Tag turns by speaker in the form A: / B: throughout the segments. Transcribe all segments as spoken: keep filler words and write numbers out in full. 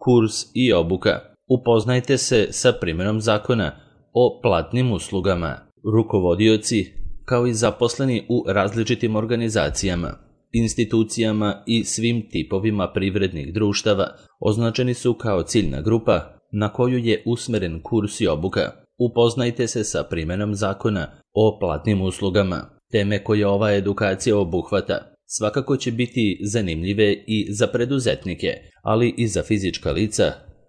A: Kurs i obuka. Upoznajte se sa primjenom zakona o platnim uslugama. Rukovodioci, kao i zaposleni u različitim organizacijama, institucijama i svim tipovima privrednih društava, označeni su kao ciljna grupa na koju je usmeren kurs i obuka. Upoznajte se sa primjenom zakona o platnim uslugama. Teme koje ova edukacija obuhvata svakako će biti zanimljive i za preduzetnike, ali i za fizička lica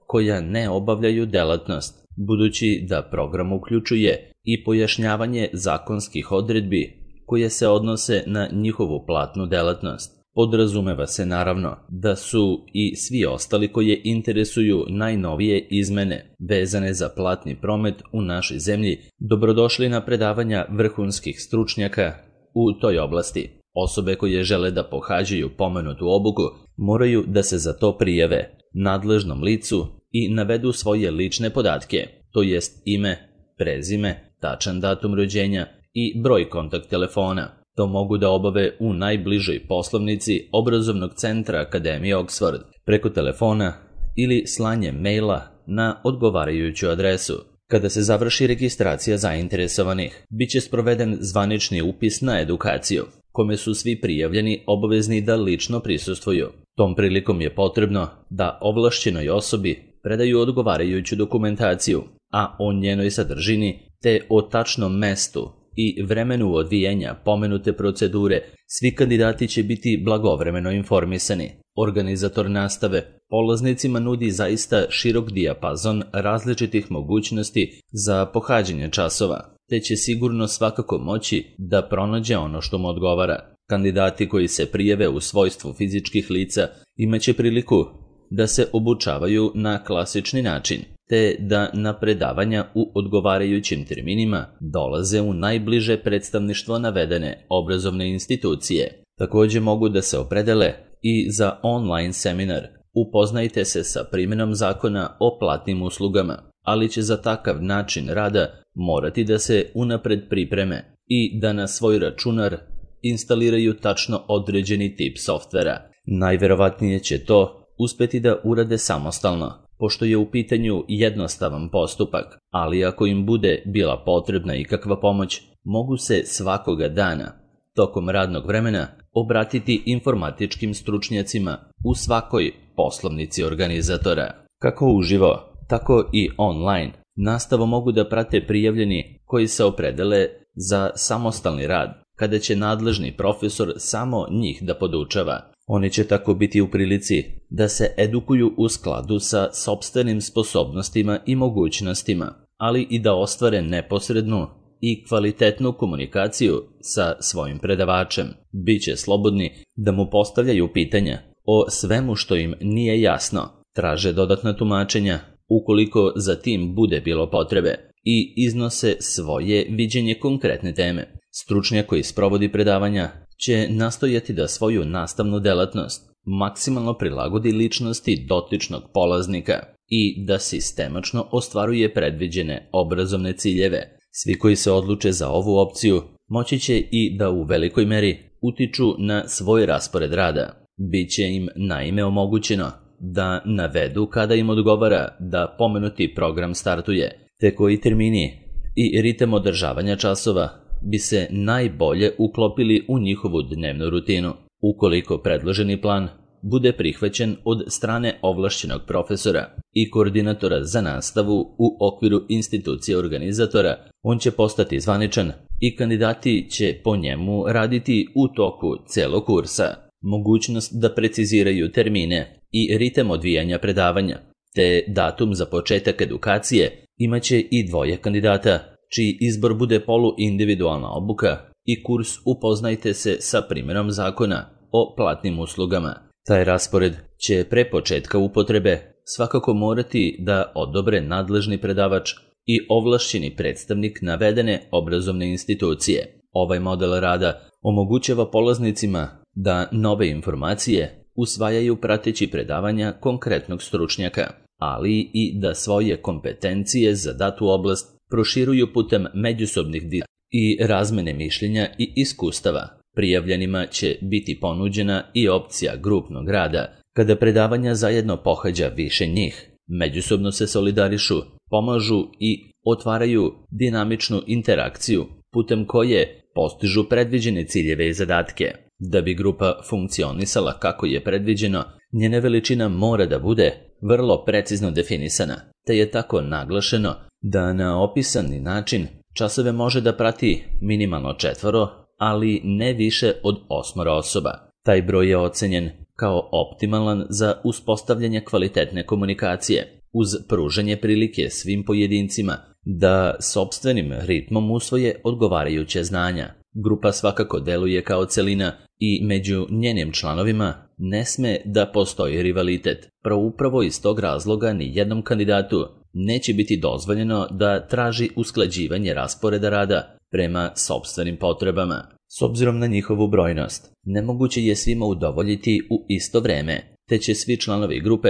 A: koja ne obavljaju delatnost, budući da program uključuje i pojašnjavanje zakonskih odredbi koje se odnose na njihovu platnu delatnost. Podrazumeva se naravno da su i svi ostali koje interesuju najnovije izmene vezane za platni promet u našoj zemlji dobrodošli na predavanja vrhunskih stručnjaka u toj oblasti. Osobe koje žele da pohađaju pomenutu obuku moraju da se za to prijave nadležnom licu i navedu svoje lične podatke, to jest ime, prezime, tačan datum rođenja i broj kontakt telefona. To mogu da obave u najbližoj poslovnici obrazovnog centra Akademije Oxford, preko telefona ili slanjem maila na odgovarajuću adresu. Kada se završi registracija zainteresovanih, bit će sproveden zvanični upis na edukaciju, kome su svi prijavljeni obavezni da lično prisustvuju. Tom prilikom je potrebno da ovlašćenoj osobi predaju odgovarajuću dokumentaciju, a o njenoj sadržini te o tačnom mestu i vremenu odvijanja pomenute procedure svi kandidati će biti blagovremeno informisani. Organizator nastave polaznicima nudi zaista širok dijapazon različitih mogućnosti za pohađanje časova, te će sigurno svakako moći da pronađe ono što mu odgovara. Kandidati koji se prijave u svojstvu fizičkih lica imaće priliku da se obučavaju na klasični način, te da na predavanja u odgovarajućim terminima dolaze u najbliže predstavništvo navedene obrazovne institucije. Također mogu da se opredele i za online seminar. Upoznajte se sa primjenom zakona o platnim uslugama, ali će za takav način rada morati da se unapred pripreme i da na svoj računar instaliraju tačno određeni tip softvera. Najverovatnije će to uspeti da urade samostalno, pošto je u pitanju jednostavan postupak, ali ako im bude bila potrebna ikakva pomoć, mogu se svakoga dana, tokom radnog vremena, obratiti informatičkim stručnjacima u svakoj poslovnici organizatora. Kako uživo, tako i online, nastavu mogu da prate prijavljeni koji se opredele za samostalni rad, kada će nadležni profesor samo njih da podučava. Oni će tako biti u prilici da se edukuju u skladu sa sopstvenim sposobnostima i mogućnostima, ali i da ostvare neposrednu i kvalitetnu komunikaciju sa svojim predavačem. Biće slobodni da mu postavljaju pitanja o svemu što im nije jasno, traže dodatna tumačenja ukoliko za tim bude bilo potrebe i iznose svoje viđenje konkretne teme. Stručnjak koji sprovodi predavanja će nastojati da svoju nastavnu delatnost maksimalno prilagodi ličnosti dotičnog polaznika i da sistemačno ostvaruje predviđene obrazovne ciljeve. Svi koji se odluče za ovu opciju moći će i da u velikoj meri utiču na svoj raspored rada. Biće im naime omogućeno da navedu kada im odgovara da pomenuti program startuje, te koji termini i ritem održavanja časova bi se najbolje uklopili u njihovu dnevnu rutinu. Ukoliko predloženi plan bude prihvaćen od strane ovlašćenog profesora i koordinatora za nastavu u okviru institucije organizatora, on će postati zvaničan i kandidati će po njemu raditi u toku celog kursa. Mogućnost da preciziraju termine i ritem odvijanja predavanja, te datum za početak edukacije imaće i dvoje kandidata, čiji izbor bude poluindividualna obuka i kurs Upoznajte se sa primjenom zakona o platnim uslugama. Taj raspored će pre početka upotrebe svakako morati da odobre nadležni predavač i ovlašćeni predstavnik navedene obrazovne institucije. Ovaj model rada omogućava polaznicima da nove informacije usvajaju prateći predavanja konkretnog stručnjaka, ali i da svoje kompetencije za datu oblast proširuju putem međusobnih diskusija i razmene mišljenja i iskustava. Prijavljenima će biti ponuđena i opcija grupnog rada, Kada predavanja zajedno pohađa više njih, međusobno se solidarišu, pomažu i otvaraju dinamičnu interakciju putem koje postižu predviđene ciljeve i zadatke. Da bi grupa funkcionisala kako je predviđeno, njena veličina mora da bude vrlo precizno definisana, te je tako naglašeno da na opisani način časove može da prati minimalno četvoro, ali ne više od osmoro osoba. Taj broj je ocenjen kao optimalan za uspostavljanje kvalitetne komunikacije, uz pružanje prilike svim pojedincima da sopstvenim ritmom usvoje odgovarajuće znanja. Grupa svakako deluje kao celina i među njenim članovima ne sme da postoji rivalitet. Pro upravo iz tog razloga ni jednom kandidatu neće biti dozvoljeno da traži usklađivanje rasporeda rada prema sopstvenim potrebama. S obzirom na njihovu brojnost, nemoguće je svima udovoljiti u isto vreme, te će svi članovi grupe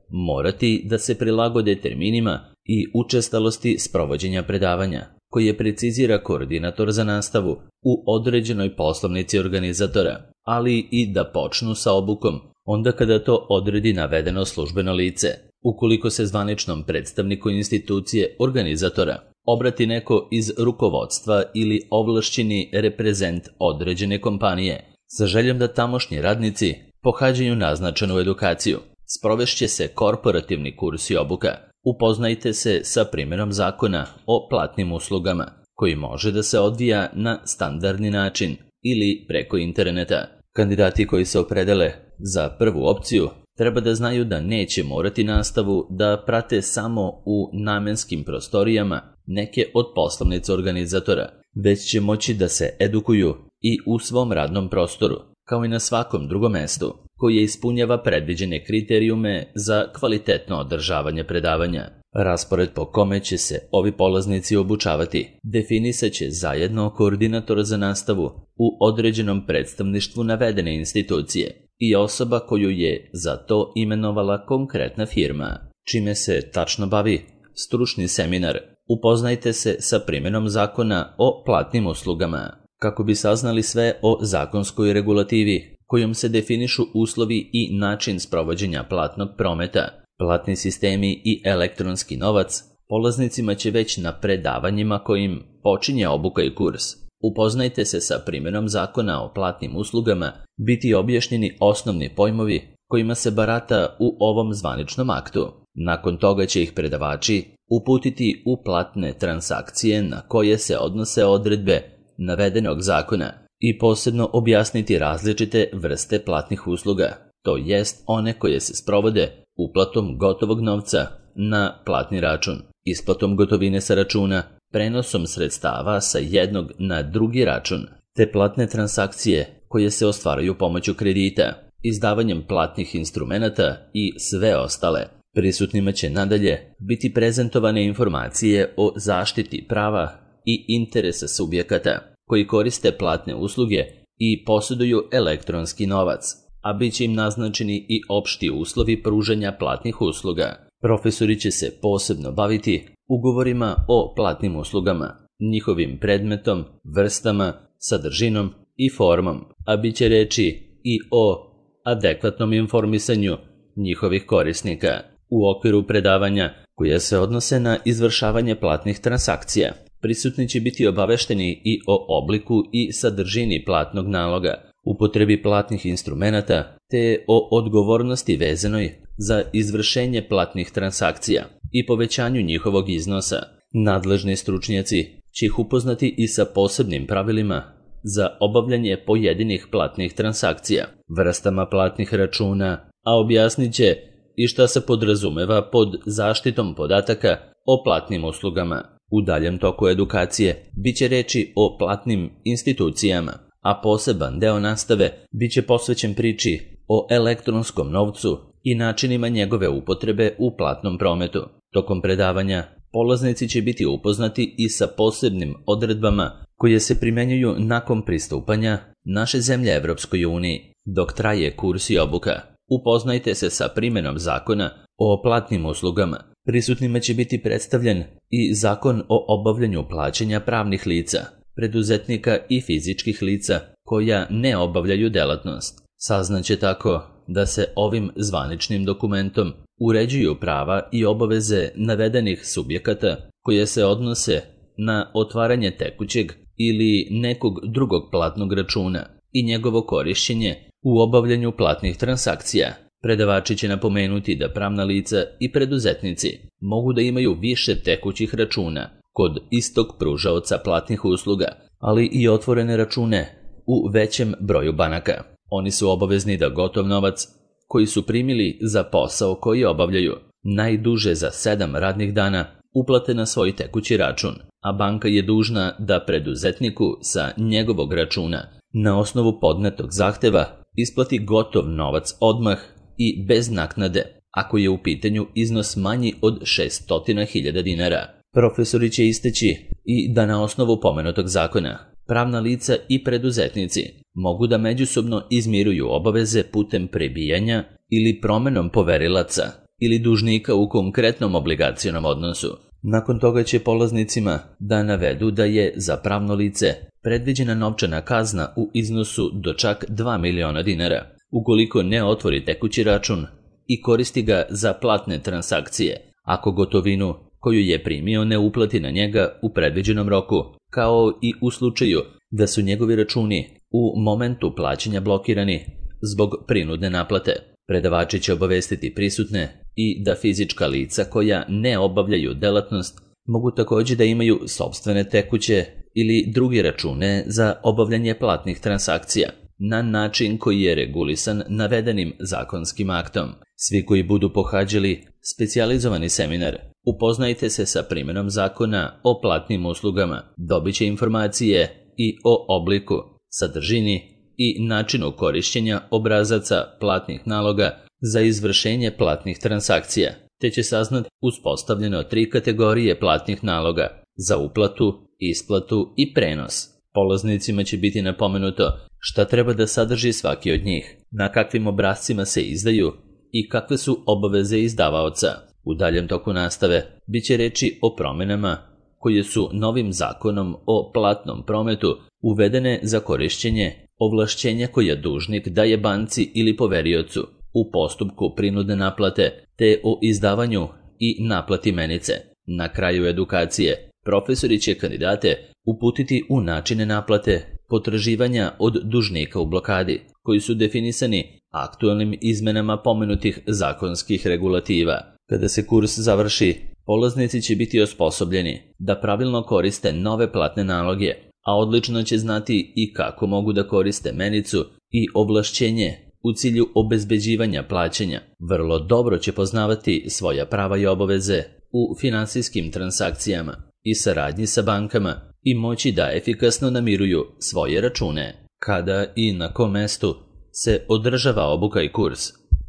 A: morati da se prilagode terminima i učestalosti sprovođenja predavanja, koje precizira koordinator za nastavu u određenoj poslovnici organizatora, ali i da počnu sa obukom onda kada to odredi navedeno službeno lice. Ukoliko se zvaničnom predstavniku institucije organizatora obrati neko iz rukovodstva ili ovlašćeni reprezent određene kompanije sa željom da tamošnji radnici pohađaju naznačenu edukaciju, sprovešće se korporativni kurs i obuka. Upoznajte se sa primjerom zakona o platnim uslugama, koji može da se odvija na standardni način ili preko interneta. Kandidati koji se opredele za prvu opciju treba da znaju da neće morati nastavu da prate samo u namenskim prostorijama neke od poslovnica organizatora, već će moći da se edukuju i u svom radnom prostoru, kao i na svakom drugom mestu, koje ispunjava predviđene kriterijume za kvalitetno održavanje predavanja. Raspored po kome će se ovi polaznici obučavati definisat će zajedno koordinator za nastavu u određenom predstavništvu navedene institucije i osoba koju je za to imenovala konkretna firma. Čime se tačno bavi stručni seminar? Upoznajte se sa primjenom zakona o platnim uslugama. Kako bi saznali sve o zakonskoj regulativi kojom se definišu uslovi i način sprovođenja platnog prometa, platni sistemi i elektronski novac, polaznicima će već na predavanjima kojim počinje obuka i kurs. Upoznajte se sa primjenom zakona o platnim uslugama, biti objašnjeni osnovni pojmovi kojima se barata u ovom zvaničnom aktu. Nakon toga će ih predavači uputiti u platne transakcije na koje se odnose odredbe navedenog zakona i posebno objasniti različite vrste platnih usluga, to jest one koje se sprovode uplatom gotovog novca na platni račun, isplatom gotovine sa računa, prenosom sredstava sa jednog na drugi račun, te platne transakcije koje se ostvaraju pomoću kredita, izdavanjem platnih instrumenata i sve ostale. Prisutnima će nadalje biti prezentovane informacije o zaštiti prava i interesa subjekata koji koriste platne usluge i posjeduju elektronski novac, a bit će im naznačeni i opšti uslovi pružanja platnih usluga. Profesori će se posebno baviti ugovorima o platnim uslugama, njihovim predmetom, vrstama, sadržinom i formom, a bit će reči i o adekvatnom informisanju njihovih korisnika. U okviru predavanja koja se odnose na izvršavanje platnih transakcija, prisutni će biti obavešteni i o obliku i sadržini platnog naloga, upotrebi platnih instrumenata, te o odgovornosti vezanoj za izvršenje platnih transakcija i povećanju njihovog iznosa. Nadležni stručnjaci će ih upoznati i sa posebnim pravilima za obavljanje pojedinih platnih transakcija, vrstama platnih računa, a objasnit će i šta se podrazumeva pod zaštitom podataka o platnim uslugama. U daljem toku edukacije bit će reči o platnim institucijama, a poseban deo nastave bit će posvećen priči o elektronskom novcu i načinima njegove upotrebe u platnom prometu. Tokom predavanja polaznici će biti upoznati i sa posebnim odredbama koje se primenjuju nakon pristupanja naše zemlje Evropskoj uniji. Dok traje kurs i obuka, upoznajte se sa primjenom zakona o platnim uslugama. Prisutnima će biti predstavljen i zakon o obavljanju plaćanja pravnih lica, preduzetnika i fizičkih lica koja ne obavljaju delatnost. Saznaće tako da se ovim zvaničnim dokumentom uređuju prava i obaveze navedenih subjekata koje se odnose na otvaranje tekućeg ili nekog drugog platnog računa i njegovo korišćenje u obavljanju platnih transakcija. Predavači će napomenuti da pravna lica i preduzetnici mogu da imaju više tekućih računa kod istog pružaoca platnih usluga, ali i otvorene račune u većem broju banaka. Oni su obavezni da gotov novac koji su primili za posao koji obavljaju najduže za sedam radnih dana uplate na svoj tekući račun, a banka je dužna da preduzetniku sa njegovog računa na osnovu podnetog zahteva isplati gotov novac odmah i bez naknade, ako je u pitanju iznos manji od šesto hiljada dinara. Profesori će isteći i da na osnovu pomenutog zakona pravna lica i preduzetnici mogu da međusobno izmiruju obaveze putem prebijanja ili promenom poverilaca ili dužnika u konkretnom obligacionom odnosu. Nakon toga će polaznicima da navedu da je za pravno lice predviđena novčana kazna u iznosu do čak dva miliona dinara ukoliko ne otvori tekući račun i koristi ga za platne transakcije, ako gotovinu koju je primio ne uplati na njega u predviđenom roku, kao i u slučaju da su njegovi računi u momentu plaćanja blokirani zbog prinudne naplate. Predavači će obavestiti prisutne i da fizička lica koja ne obavljaju delatnost mogu također da imaju sopstvene tekuće ili druge račune za obavljanje platnih transakcija na način koji je regulisan navedenim zakonskim aktom. Svi koji budu pohađali specijalizovani seminar Upoznajte se sa primjenom zakona o platnim uslugama, dobit će informacije i o obliku, sadržini i načinu korišćenja obrazaca platnih naloga za izvršenje platnih transakcija, te će saznati uspostavljeno tri kategorije platnih naloga za uplatu, isplatu i prenos. Polaznicima će biti napomenuto šta treba da sadrži svaki od njih, na kakvim obrascima se izdaju i kakve su obaveze izdavaoca. U daljem toku nastave bit će reči o promjenama koje su novim zakonom o platnom prometu uvedene za korišćenje ovlašćenja koje dužnik daje banci ili poveriocu u postupku prinudne naplate te o izdavanju i naplati menice. Na kraju edukacije profesori će kandidate uputiti u načine naplate potraživanja od dužnika u blokadi, koji su definisani aktualnim izmenama pomenutih zakonskih regulativa. Kada se kurs završi, polaznici će biti osposobljeni da pravilno koriste nove platne naloge, a odlično će znati i kako mogu da koriste menicu i ovlašćenje u cilju obezbeđivanja plaćanja. Vrlo dobro će poznavati svoja prava i obaveze u finansijskim transakcijama i saradnji sa bankama i moći da efikasno namiruju svoje račune. Kada i na kom mestu se održava obuka i kurs,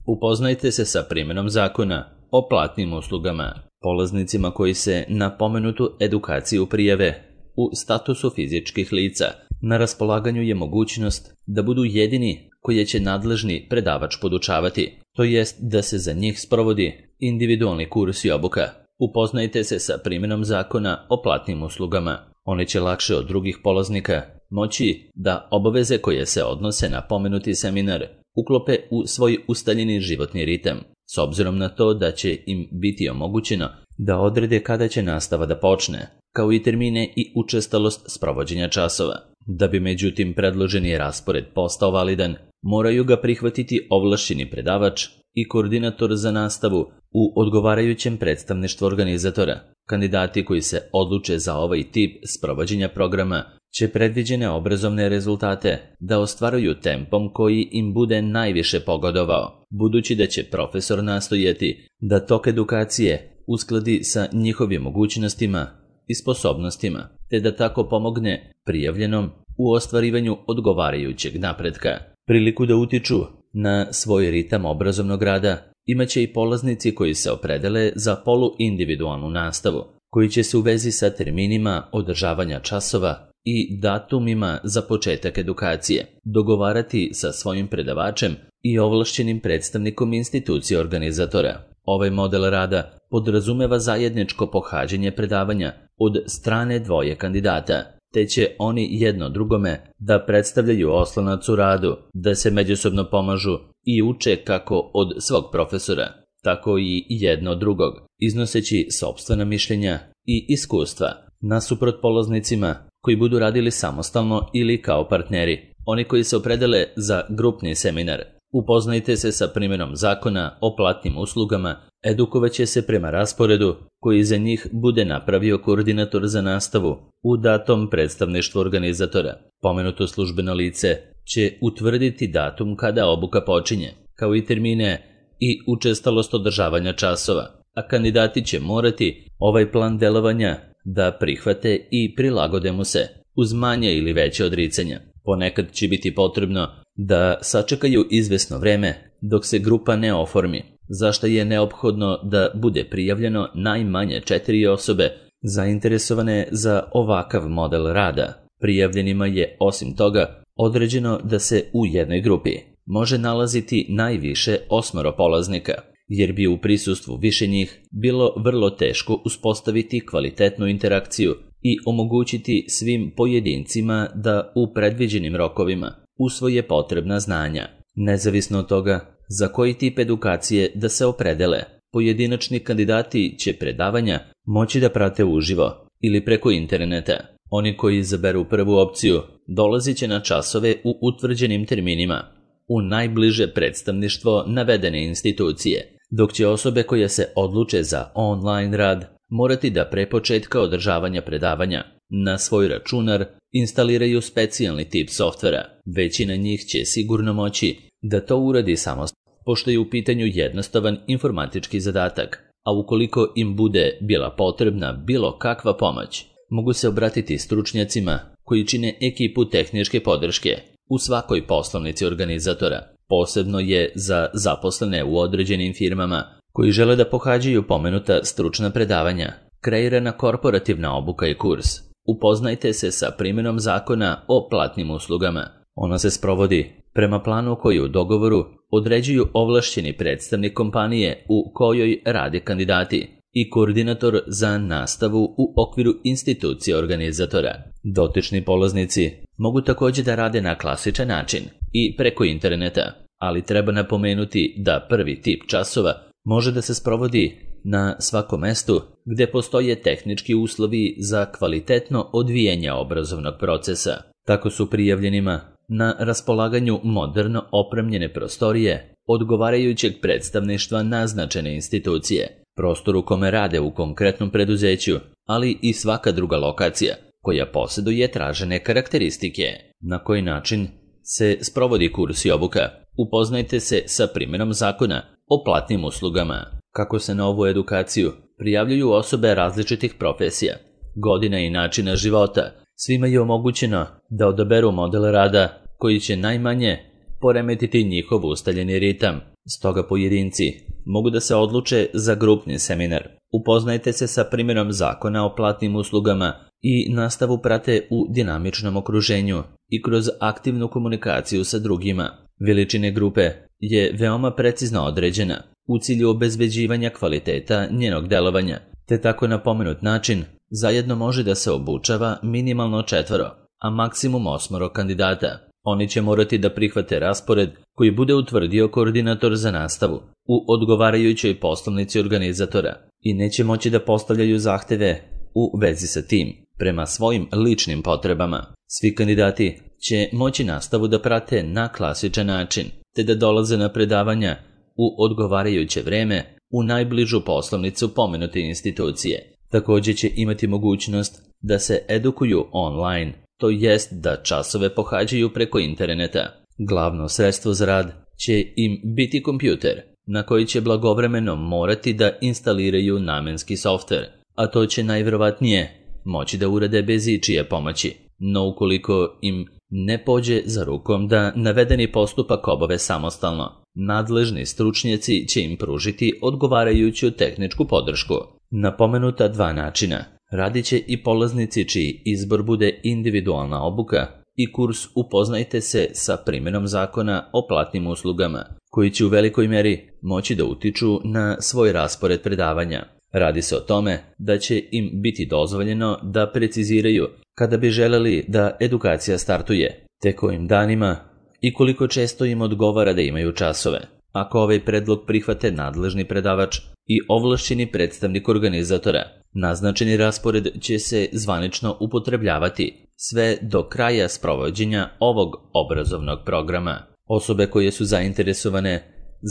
A: upoznajte se sa primjenom zakona o platnim uslugama. Polaznicima koji se na pomenutu edukaciju prijave u statusu fizičkih lica, na raspolaganju je mogućnost da budu jedini koje će nadležni predavač podučavati, to jest da se za njih sprovodi individualni kurs i obuka. Upoznajte se sa primjenom zakona o platnim uslugama. Oni će lakše od drugih polaznika moći da obaveze koje se odnose na pomenuti seminar uklope u svoj ustaljeni životni ritam, s obzirom na to da će im biti omogućeno da odrede kada će nastava da počne, kao i termine i učestalost sprovođenja časova. Da bi međutim predloženi raspored postao validan, moraju ga prihvatiti ovlašćeni predavač i koordinator za nastavu u odgovarajućem predstavništvu organizatora. Kandidati koji se odluče za ovaj tip sprovođenja programa će predviđene obrazovne rezultate da ostvaruju tempom koji im bude najviše pogodovao, budući da će profesor nastojati da tok edukacije uskladi sa njihovim mogućnostima i sposobnostima, te da tako pomogne prijavljenom u ostvarivanju odgovarajućeg napretka. Priliku da utiču na svoj ritam obrazovnog rada imaće i polaznici koji se opredele za poluindividualnu nastavu, koji će se u vezi sa terminima održavanja časova i datumima za početak edukacije dogovarati sa svojim predavačem i ovlašćenim predstavnikom institucije organizatora. Ovaj model rada podrazumeva zajedničko pohađanje predavanja od strane dvoje kandidata, te će oni jedno drugome da predstavljaju oslonac u radu, da se međusobno pomažu i uče kako od svog profesora, tako i jedno drugog, iznoseći sopstvena mišljenja i iskustva, nasuprot polaznicima koji budu radili samostalno ili kao partneri. Oni koji se opredele za grupni seminar, upoznajte se sa primjenom zakona o platnim uslugama, edukovaće se prema rasporedu koji za njih bude napravio koordinator za nastavu u datom predstavništvu organizatora. Pomenuto službeno lice će utvrditi datum kada obuka počinje, kao i termine i učestalost održavanja časova, a kandidati će morati ovaj plan delovanja da prihvate i prilagode mu se, uz manje ili veće odricanja. Ponekad će biti potrebno da sačekaju izvesno vreme dok se grupa ne oformi, za što je neophodno da bude prijavljeno najmanje četiri osobe zainteresovane za ovakav model rada. Prijavljenima je, osim toga, određeno da se u jednoj grupi može nalaziti najviše osmoro polaznika, jer bi u prisustvu više njih bilo vrlo teško uspostaviti kvalitetnu interakciju i omogućiti svim pojedincima da u predviđenim rokovima usvoje potrebna znanja. Nezavisno od toga za koji tip edukacije da se opredele, pojedinačni kandidati će predavanja moći da prate uživo ili preko interneta. Oni koji izaberu prvu opciju dolazit će na časove u utvrđenim terminima u najbliže predstavništvo navedene institucije, dok će osobe koje se odluče za online rad morati da pre početka održavanja predavanja na svoj računar instaliraju specijalni tip softvera. Većina njih će sigurno moći da to uradi samostalno, pošto je u pitanju jednostavan informatički zadatak, a ukoliko im bude bila potrebna bilo kakva pomoć, mogu se obratiti stručnjacima koji čine ekipu tehničke podrške u svakoj poslovnici organizatora. Posebno je za zaposlene u određenim firmama koji žele da pohađaju pomenuta stručna predavanja kreirana korporativna obuka i kurs. Upoznajte se sa primjenom zakona o platnim uslugama. Ona se sprovodi prema planu koji u dogovoru određuju ovlašćeni predstavnik kompanije u kojoj rade kandidati i koordinator za nastavu u okviru institucije organizatora. Dotični polaznici mogu također da rade na klasičan način i preko interneta, ali treba napomenuti da prvi tip časova može da se sprovodi na svakom mestu gde postoje tehnički uslovi za kvalitetno odvijanje obrazovnog procesa. Tako su prijavljenima na raspolaganju moderno opremljene prostorije odgovarajućeg predstavništva naznačene institucije, prostor u kome rade u konkretnom preduzeću, ali i svaka druga lokacija koja posjeduje tražene karakteristike. Na koji način se sprovodi kurs i obuka? Upoznajte se sa primjenom zakona o platnim uslugama. Kako se na ovu edukaciju prijavljuju osobe različitih profesija, godina i načina života, svima je omogućeno da odaberu model rada koji će najmanje poremetiti njihov ustaljeni ritam. Stoga pojedinci mogu da se odluče za grupni seminar. Upoznajte se sa primjenom zakona o platnim uslugama i nastavu prate u dinamičnom okruženju i kroz aktivnu komunikaciju sa drugima. Veličine grupe je veoma precizno određena u cilju obezbeđivanja kvaliteta njenog delovanja, te tako na pomenut način zajedno može da se obučava minimalno četvoro, a maksimum osmoro kandidata. Oni će morati da prihvate raspored koji bude utvrdio koordinator za nastavu u odgovarajućoj poslovnici organizatora i neće moći da postavljaju zahteve u vezi sa tim prema svojim ličnim potrebama. Svi kandidati će moći nastavu da prate na klasičan način, te da dolaze na predavanja u odgovarajuće vreme u najbližu poslovnicu pomenute institucije. Također će imati mogućnost da se edukuju online, to jest da časove pohađaju preko interneta. Glavno sredstvo za rad će im biti kompjuter, na koji će blagovremeno morati da instaliraju namenski softver, a to će najvjerovatnije moći da urade bez ičije pomoći. No ukoliko im ne pođe za rukom da navedeni postupak obave samostalno, nadležni stručnjaci će im pružiti odgovarajuću tehničku podršku. Na pomenuta dva načina radit će i polaznici čiji izbor bude individualna obuka i kurs Upoznajte se sa primjenom zakona o platnim uslugama, koji će u velikoj meri moći da utiču na svoj raspored predavanja. Radi se o tome da će im biti dozvoljeno da preciziraju kada bi želeli da edukacija startuje, te kojim danima i koliko često im odgovara da imaju časove. Ako ovaj predlog prihvate nadležni predavač i ovlašćeni predstavnik organizatora, naznačeni raspored će se zvanično upotrebljavati sve do kraja sprovođenja ovog obrazovnog programa. Osobe koje su zainteresovane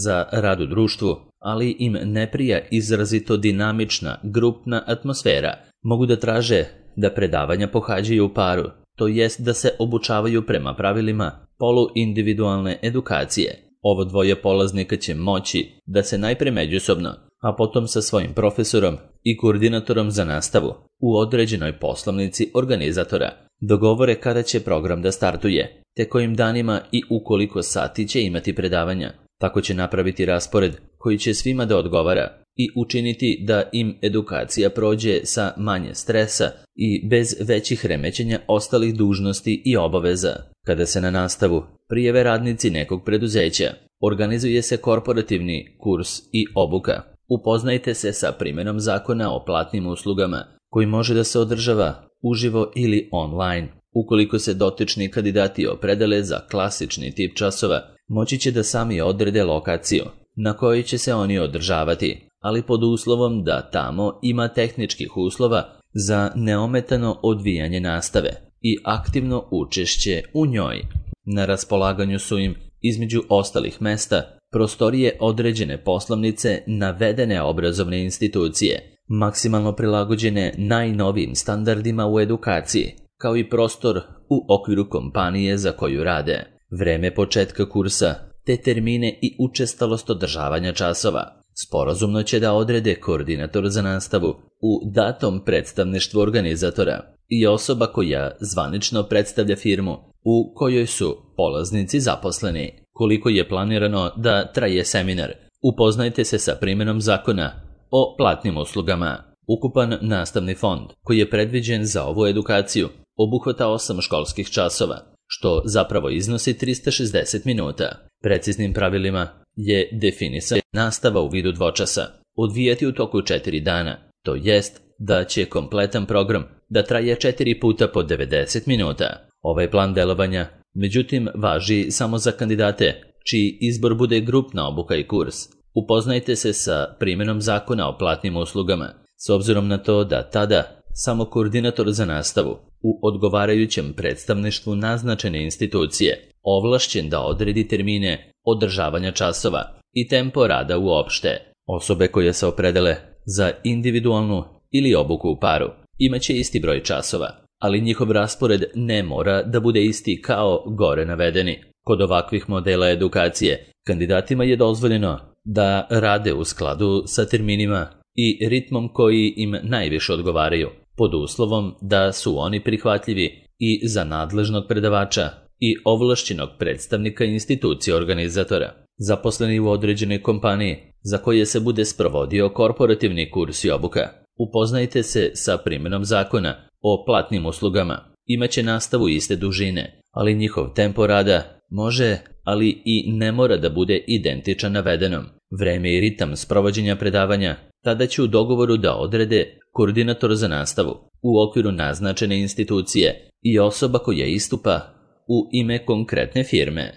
A: za rad u društvu, ali im ne prija izrazito dinamična grupna atmosfera, mogu da traže da predavanja pohađaju u paru, to jest da se obučavaju prema pravilima poluindividualne edukacije. Ovo dvoje polaznika će moći da se najpre međusobno, a potom sa svojim profesorom i koordinatorom za nastavu u određenoj poslovnici organizatora dogovore kada će program da startuje, te kojim danima i u koliko sati će imati predavanja. Tako će napraviti raspored koji će svima da odgovara i učiniti da im edukacija prođe sa manje stresa i bez većih remećenja ostalih dužnosti i obaveza. Kada se na nastavu prijave radnici nekog preduzeća, organizuje se korporativni kurs i obuka. Upoznajte se sa primjenom zakona o platnim uslugama, koji može da se održava uživo ili online. Ukoliko se dotični kandidati opredele za klasični tip časova, moći će da sami odrede lokaciju na kojoj će se oni održavati, ali pod uslovom da tamo ima tehničkih uslova za neometano odvijanje nastave i aktivno učešće u njoj. Na raspolaganju su im, između ostalih mesta, prostorije određene poslovnice navedene obrazovne institucije, maksimalno prilagođene najnovijim standardima u edukaciji, kao i prostor u okviru kompanije za koju rade, vreme početka kursa, te termine i učestalost održavanja časova. Sporazumno će da odrede koordinator za nastavu u datom predstavništvu organizatora i osoba koja zvanično predstavlja firmu u kojoj su polaznici zaposleni. Koliko je planirano da traje seminar? Upoznajte se sa primjenom zakona o platnim uslugama. Ukupan nastavni fond koji je predviđen za ovu edukaciju obuhvata osam školskih časova, što zapravo iznosi trista šezdeset minuta. Preciznim pravilima je definisana nastava u vidu dvočasa, odvijati u toku četiri dana, to jest da će kompletan program da traje četiri puta po devedeset minuta. Ovaj plan delovanja, međutim, važi samo za kandidate čiji izbor bude grupna obuka i kurs. Upoznajte se sa primjenom zakona o platnim uslugama, s obzirom na to da tada samo koordinator za nastavu u odgovarajućem predstavništvu naznačene institucije ovlašćen da odredi termine održavanja časova i tempo rada uopšte. Osobe koje se opredele za individualnu ili obuku u paru imaće isti broj časova, ali njihov raspored ne mora da bude isti kao gore navedeni. Kod ovakvih modela edukacije kandidatima je dozvoljeno da rade u skladu sa terminima i ritmom koji im najviše odgovaraju, pod uslovom da su oni prihvatljivi i za nadležnog predavača i ovlašćenog predstavnika institucije organizatora. Zaposleni u određenoj kompaniji za koje se bude sprovodio korporativni kurs i obuka. Upoznajte se sa primjenom zakona o platnim uslugama. Imaće nastavu iste dužine, ali njihov tempo rada može, ali i ne mora da bude identičan navedenom. Vreme i ritam sprovođenja predavanja tada će u dogovoru da odrede koordinator za nastavu u okviru naznačene institucije i osoba koja istupa u ime konkretne firme.